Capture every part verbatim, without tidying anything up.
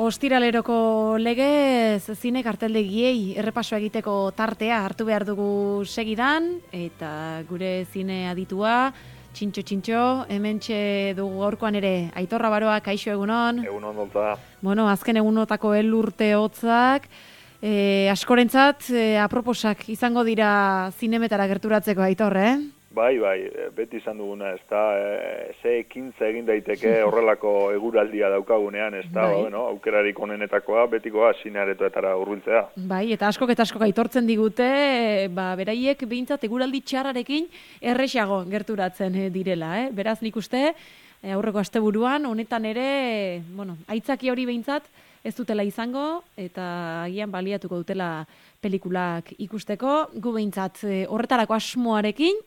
Ostiraleroko legez zine karteldegiei errepaso egiteko tartea hartu behar dugu segidan, eta gure zine aditua, Txintxo Txintxo, hementxe dugu gaurkoan ere, Aitor Rabaroa, kaixo egunon. Egunon dolta. Bueno, azken egunotako elurte hotzak, e, askorentzat e, aproposak izango dira zinemetara gerturatzeko, Aitor, eh? Bai, bai, beti izan duguna, ez da, e, ze ekintza egin daiteke horrelako eguraldia daukagunean, ez da, bai. Ba, bueno, aukerarik onenetakoa, betikoa zinearetoetara hurbiltzea. Bai, eta askok eta askok aitortzen digute, ba, beraiek behintzat eguraldi txarrarekin erresago gerturatzen direla, eh? Beraz nik uste, aurreko asteburuan, honetan ere, bueno, aitzaki hori behintzat, ez dutela izango, eta agian baliatuko dutela pelikulak ikusteko, gu behintzat horretarako asmoarekin,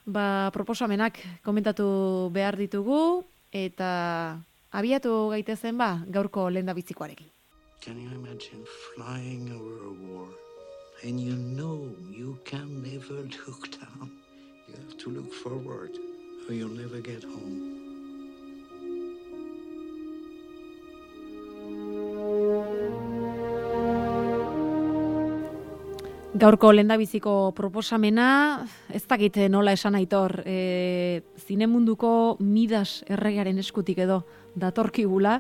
ba, proposamenak komentatu behar ditugu, eta abiatu gaitezen ba, gaurko lehendabizikoarekin. Can you imagine flying over a war, and you know you can never look down? You have to look forward, or you'll never get home. Gaurko lehendabiziko proposamena, ez dakit nola esan Aitor, e, zinemunduko Midas erregearen eskutik edo datorkigula,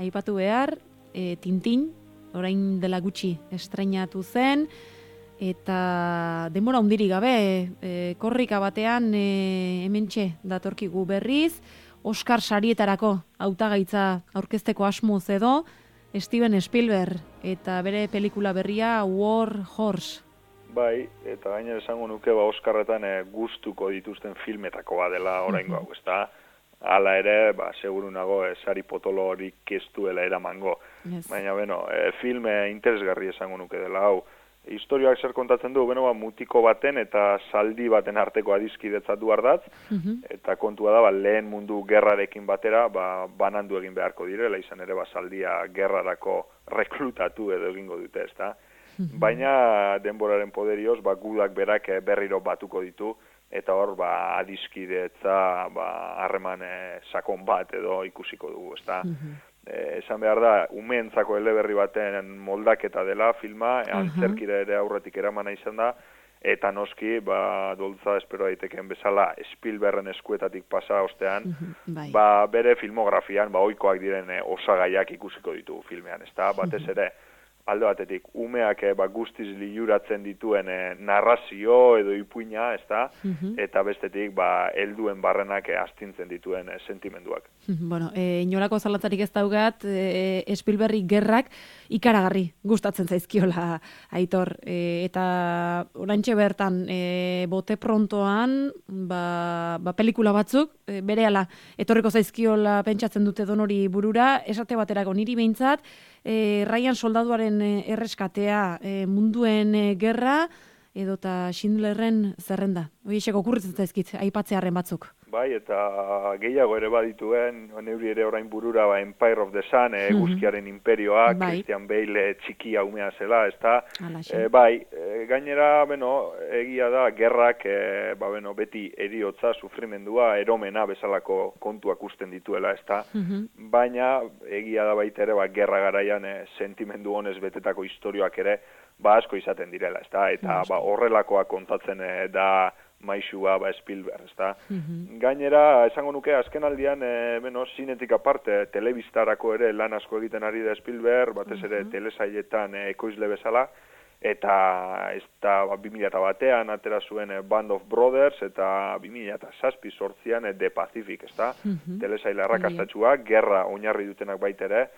aipatu behar, e, Tintin, orain dela gutxi estreinatu zen, eta denbora hundirik gabe, e, korrika batean e, hementxe datorkigu berriz, Oscar sarietarako hautagaitza aurkezteko asmoz edo, Steven Spielberg, eta bere pelikula berria War Horse. Bai, eta gainera esango nuke ba Oskarretan e, gustuko dituzten filmetako badela oraingo hau, ezta? Hala ere, ba seguru nago e, sari potolo horik ez duela eramango. Yes. Baina beno, e, filme interesgarri esango nuke dela hau. Historioak zer kontatzen du, beno ba mutiko baten eta zaldi baten arteko adiskidetza du ardatz, uh-huh. Eta kontua da ba lehen mundu gerrarekin batera, ba banandu egin beharko direla, izan ere ba zaldia gerrarako rekrutatu edo egingo dute, ezta? Baina denboraren poderioz, ba, gudak berak berriro batuko ditu, eta hor, ba, adiskidetza, ba, harreman sakon bat edo ikusiko dugu, ezta? Uh-huh. E, esan behar da, umeentzako eleberri baten moldaketa dela filma, uh-huh. Antzerkira ere aurretik eramana izan da, eta noski, ba, doltza espero daiteken bezala, Spielbergen eskuetatik pasa ostean, uh-huh. ba, bere filmografian, ba, ohikoak diren e, osagaiak ikusiko ditu filmean, ezta? Batez ere, alde batetik, umeak ba, guztiz liuratzen dituen e, narrazio edo ipuina, ezta? Uh-huh. Eta bestetik, ba, helduen barrenak e, astintzen dituen e, sentimenduak. Bueno, e, inolako zalatzarik ez daugat, e, Spielberg gerrak ikaragarri gustatzen zaizkiola Aitor. E, eta orantxe bertan, e, bote prontoan, ba, ba, pelikula batzuk, e, berehala, etorriko zaizkiola pentsatzen dute donori burura, esate baterako niri behintzat, E, Ryan soldaduaren erreskatea, e, munduen e, gerra, edota Schindlerren zerrenda. Hoiexek okurritzen zaizkit, aipatzearen batzuk. Bai, eta gehiago ere badituen, neuri ere orain burura, ba, Empire of the Sun, e, guzkiaren imperioa, bai. Christian Bale txikia umea zela, ezta? E, bai, e, gainera, beno, egia da, gerrak, e, ba, beno, beti eriotza, sufrimendua, eromena bezalako kontuak usten dituela, ezta? Uh-huh. Baina, egia da baita ere, ba, gerra garaian e, sentimendu honez betetako historioak ere, ba, asko izaten direla, ezta? Eta, ba, horrelakoa kontatzen e, da, maixua, ba, Spielberg, ezta? Uh-huh. Gainera, esango nuke, azken aldian, e, beno, zinetik aparte, telebistarako ere lan asko egiten ari da Spielberg, batez ere uh-huh. telesailetan e, ekoizle bezala, eta ez da, ba, bi mila batean atera zuen e, Band of Brothers, eta bi mila zazpi sortzian e, The Pacific, ezta? Uh-huh. Telesaile arrakastatxua, uh-huh. gerra oinarri dutenak baitere,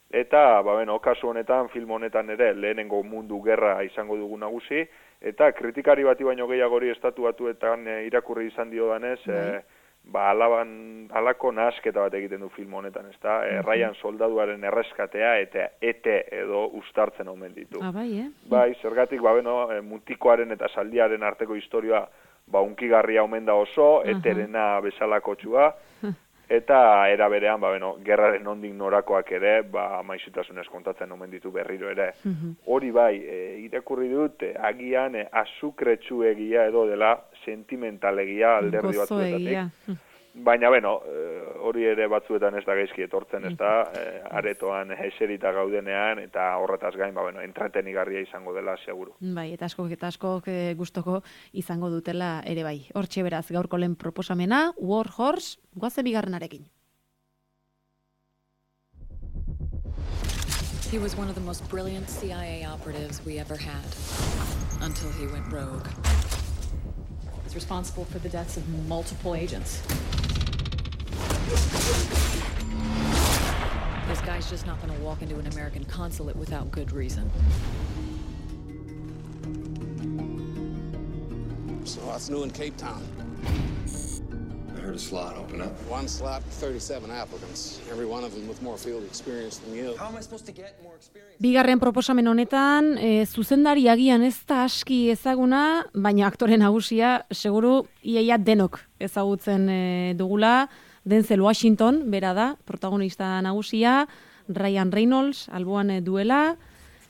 eta, ba, beno, kasu honetan, film honetan ere, lehenengo mundu gerra izango dugu nagusi, eta kritikari bati baino gehiagori estatu batuetan e, irakurri izan dio danez, e, ba, alaban, alako nahasketa bat egiten du film honetan, ezta? E, Ryan soldaduaren erreskatea eta ete edo ustartzen omen ditu. Ah, bai, eh? Bai, zergatik, ba, beno, e, mutikoaren eta zaldiaren arteko historioa, ba, unkigarria omen da oso, eterena bezalako txua, eta era berean, ba, beno, gerraren nondik norakoak ere, ba, maizutasunez kontatzen omen ditu berriro ere. Hori bai, e, irakurri dut, e, agian e, azukretsu egia edo dela sentimentalegia alderdi batzuetatik. Baina, bueno, hori ere batzuetan ez da gaizki etortzen, ez da, aretoan eserita gaudenean, eta horretaz gain, ba, bueno, entretenigarria izango dela, seguru. Bai, eta askok eta askok gustoko izango dutela ere bai. Hortxe beraz, gaurko lehen proposamena, War Horse, goazen bigarrenarekin. He was one of the most brilliant C I A operatives we ever had, until he went rogue. He's responsible for the deaths of multiple agents. This guy's just not going to walk into an American consulate without good reason. So what's new in Cape Town? I heard a slot open up. One slot, thirty-seven applicants. Every one of them with more field experience than you. How am I supposed to get more experience? Bigarren proposamen honetan, e, zuzendari agian ez da aski ezaguna, baina aktore nagusia seguru iaia denok ezagutzen e, dugula. Denzel Washington, bera da, protagonista nagusia, Ryan Reynolds, alboan e, duela,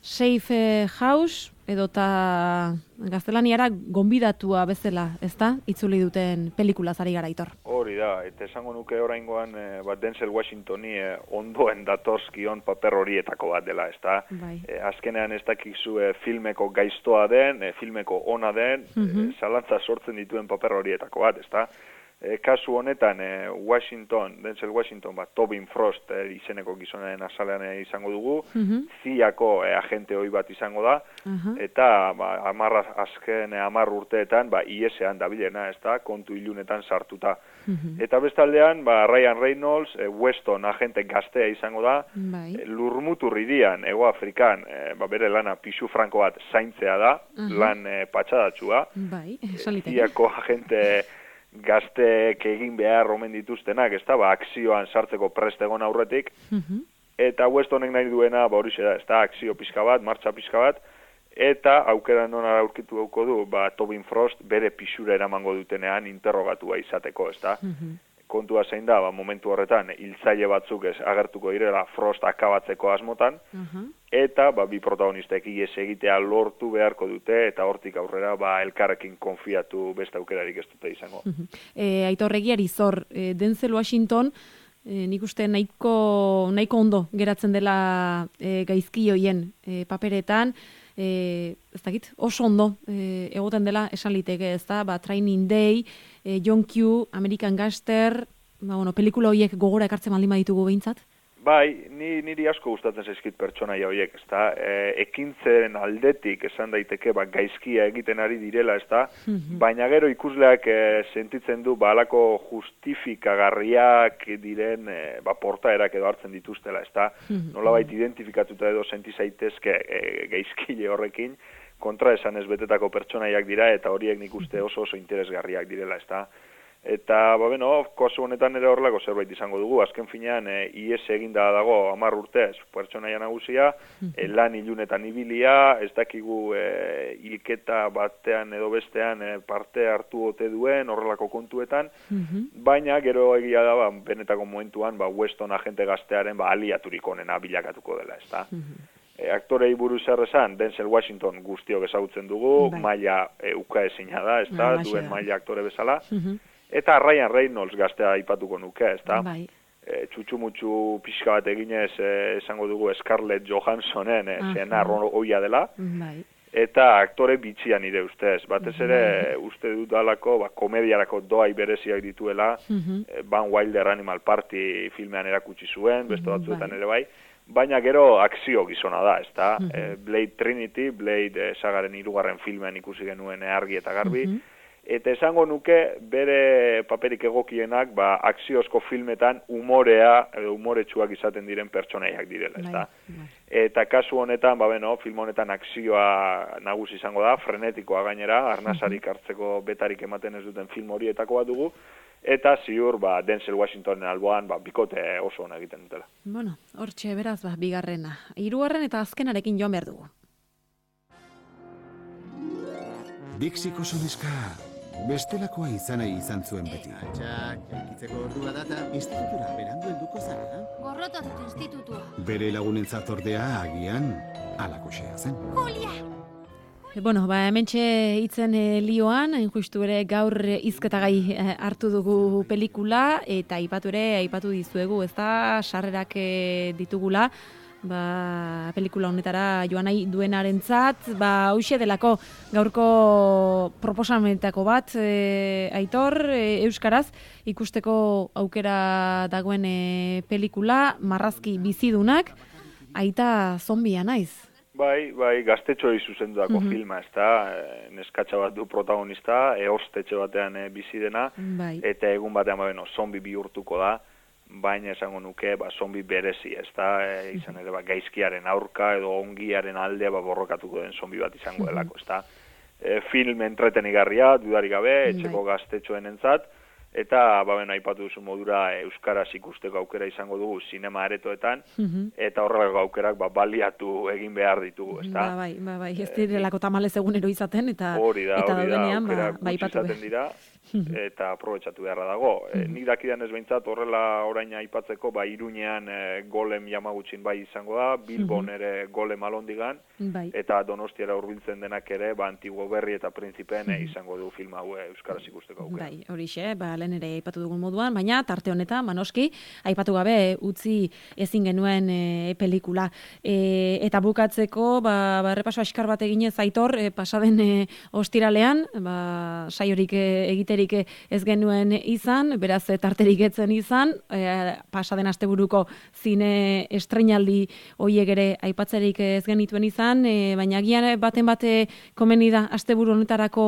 Safe House, edota gaztelaniara gonbidatua bezala, ezta? Itzuli duten pelikulaz ari gara, Aitor. Hori da, eta esango nuke oraingoan e, bat Denzel Washingtoni e, ondoen datorskion paper horietako bat dela, ezta? Bai. E, azkenean ez dakizu e, filmeko gaiztoa den, e, filmeko ona den, mm-hmm. e, zalantza sortzen dituen paper horietako bat, ezta? E, kasu honetan, e, Washington, Denzel Washington, bat Tobin Frost e, izeneko gizonaren azalean e, izango dugu, mm-hmm. C I A-ko e, agente hoi bat izango da, uh-huh. eta ba, amarra, azken e, amar urteetan ba, I S-ean dabilena, ez da, kontu ilunetan sartuta. Mm-hmm. Eta bestaldean, ba, Ryan Reynolds, e, Weston agente gaztea izango da, bai. e, Lurmutur irian, Ego Afrikan, e, ba, bere lana pisu franko bat zaintzea da, uh-huh. lan e, patxadatsua, bai, C I A-ko agente gazteek egin behar omen dituztenak, ez da, ba, akzioan sartzeko prest egon aurretik, uh-huh. eta Westonek nahi duena, ba, hori da, ez da, akzio pixka bat, martxa pixka bat, eta aukera nona aurkitu dauko du, ba, Tobin Frost bere pixura eramango dutenean interrogatua izateko, ez da. Uh-huh. Kontua zein da, ba, momentu horretan, hiltzaile batzuk ez agertuko direla Frost akabatzeko asmotan, uh-huh. eta ba, bi protagonistek ies egitea lortu beharko dute, eta hortik aurrera ba, elkarrekin konfiatu beste aukerarik ez dute izango. Uh-huh. E, Aitor egiari zor, e, Denzel Washington, e, nik uste nahiko, nahiko ondo geratzen dela e, gaizki hoien e, paperetan, E, ez dakit, oso ondo e, egoten dela esan liteke, ez da, ba, Training Day, e, John Q, American Gangster, ba, bueno, pelikula horiek gogora ekartzen baldin baditugu behintzat? Bai, ni, niri asko gustatzen zaizkit pertsonaia horiek, ez da, e, ekintzen aldetik esan daiteke, ba, gaizkia egiten ari direla, ez da, mm-hmm. baina gero ikusleak e, sentitzen du, ba, alako justifikagarriak diren, e, ba, portaerak edo hartzen dituztela, ez da, mm-hmm. nolabait identifikatuta edo senti zaitezke e, gaizkile horrekin, kontra esan ez betetako pertsonaiak dira, eta horiek nik uste oso oso interesgarriak direla, ez da. Eta, ba, beno, kasu honetan ere horrelako zerbait izango dugu. Azken finean, e, I S eginda dago hamar urtez pertsonaia nagusia, e, lan ilunetan ibilia, ez dakigu e, hilketa batean edo bestean e, parte hartu ote duen horrelako kontuetan, mm-hmm. baina gero egia da, ba, benetako momentuan, ba, Weston agente gaztearen ba, aliaturik onena bilakatuko dela, ez da. Mm-hmm. E, aktorei buruz errezan, Denzel Washington guztiok ezagutzen dugu, bai. maila e, uka ezina da, ez da, duen maila aktore bezala, mm-hmm. Eta Ryan Reynolds gaztea aipatuko nuke, ez da? Bai. E, txutxu-mutxu pixka bat eginez, e, esango dugu Scarlett Johanssonen, e, zena roia dela. Bai. Eta aktore bitxia nire ustez. Batez ere, bai. uste dut dalako, ba, komediarako doai bereziak dituela, uh-huh. e, Van Wilder Animal Party filmean erakutsi zuen, beste batzuetan bai. ere bai. Baina gero akzio gizona da, ez da? Uh-huh. E, Blade Trinity, Blade e, sagaren hirugarren filmean ikusi genuen argi eta garbi, uh-huh. Eta esango nuke bere paperik egokienak ba, akziozko filmetan umorea, edo umoretsuak izaten diren pertsonaiak direla, ez da? Eta kasu honetan, ba, beno, film honetan akzioa nagusi izango da, frenetikoa gainera, arnasarik hartzeko betarik ematen ez duten film horietako bat dugu, eta ziur, ba, Denzel Washingtonen alboan, ba, bikote oso hona egiten dutela. Bueno, hortxe beraz, ba, bigarrena. Hirugarren eta azkenarekin joan behar dugu. Dixiko sonezka... Bestelakoa izanai izan zuen beti. Txak, elkitzeko ordua data. Institutura berandu helduko zara? Gorrotatut institutua. Bere lagunentzat ordea agian, alakoxea zen. Julia! Bueno, ba, hementxe hitzen e, lioan, hain justu ere gaur hizketagai e, hartu dugu pelikula, eta aipatu ere, aipatu dizuegu, ez da, sarrerak e, ditugula, ba, pelikula honetara joan nahi duenarentzat, ba, hoxe delako gaurko proposamenetako bat, e, Aitor, e, euskaraz, ikusteko aukera dagoen e, pelikula, Marrazki bizidunak, aita zombia naiz. Bai, bai, gaztetxoei zuzendutako mm-hmm. filma, ez da, neskatxa bat du protagonista, eostetxe batean e, bizi dena, bai. Eta egun batean, ba, bueno, zombi bihurtuko da, baina esango nuke, ba, zombi berezi, ez da, e, izan ere, ba, gaizkiaren aurka edo ongiaren alde, ba, borrokatuko den zombi bat izango delako, ez da. E, film entretenigarria, dudarik gabe, etxeko bai. Gaztetxoen entzat, eta, ba, ben, aipatu duzu modura, euskaraz ikusteko aukera izango dugu sinema aretoetan, mm-hmm. eta horrelako aukerak ba, baliatu egin behar ditugu, ez da? Ba, bai, ba, bai, ez direlako tamalez egunero izaten, eta hori da, eta hori da, aukerak ba, gutxi izaten dira, eta aprobetxatu beharra dago. E, nik dakidan ez behintzat, horrela orain aipatzeko, ba, Iruñean e, golem Yamagutxin bai izango da, Bilbon ere golem Alondigan, bai. Eta Donostiara hurbiltzen denak ere, ba, Antiguo Berri eta Printzipeen e, izango du film hau e, euskaraz ikusteko aukera. Bai, horixe, ba, lehen ere aipatu dugun moduan, baina tarte honetan, manoski, aipatu gabe utzi ezin genuen e, pelikula. E, eta bukatzeko, ba, ba errepaso askar bat eginez Aitor, e, pasaden e, ostiralean, ba, saiorik e, egiterik ez genuen izan, beraz tarterik etzen izan, e, pasaden asteburuko zine estreinaldi hoiek ere aipatzerik ez genituen izan, e, baina agian baten bate komeni da asteburu honetarako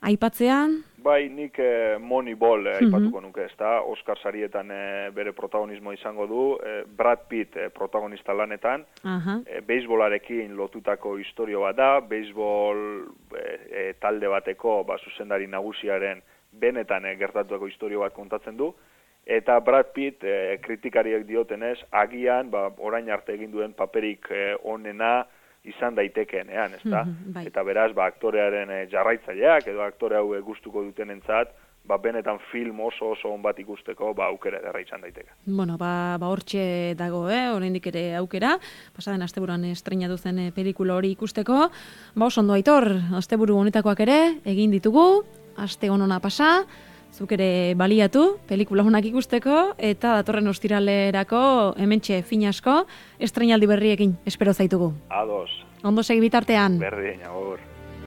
aipatzean. Bai, nik eh, Moneyball eh, aipatuko nuke, ez da, Oscar sarietan eh, bere protagonismo izango du, eh, Brad Pitt eh, protagonista lanetan, uh-huh. eh, beisbolarekin lotutako historio bat da, beisbol eh, eh, talde bateko ba, zuzendari nagusiaren benetan eh, gertatutako historio bat kontatzen du, eta Brad Pitt eh, kritikariek diotenez, agian, ba, orain arte egin duen paperik eh, onena, izan daitekeenean, ez da? Mm-hmm, bai. Eta beraz, ba, aktorearen e, jarraitzaileak edo aktore hau gustuko dutenentzat, ba, benetan film oso oso on bat ikusteko, ba, aukera ederra izan daiteke. Bueno, ba, ba hortxe dago, eh? Oraindik ere aukera, pasaden asteburuan estreinatu zen e, pelikula hori ikusteko. Ba, oso ondo Aitor, asteburu honetakoak ere egin ditugu, aste onona pasa, zuk ere baliatu, pelikula honak ikusteko, eta datorren ostiralerako hementxe fin asko, estreinaldi berriekin espero zaitugu. Ados. Ondo segi bitartean. Berdin, agur.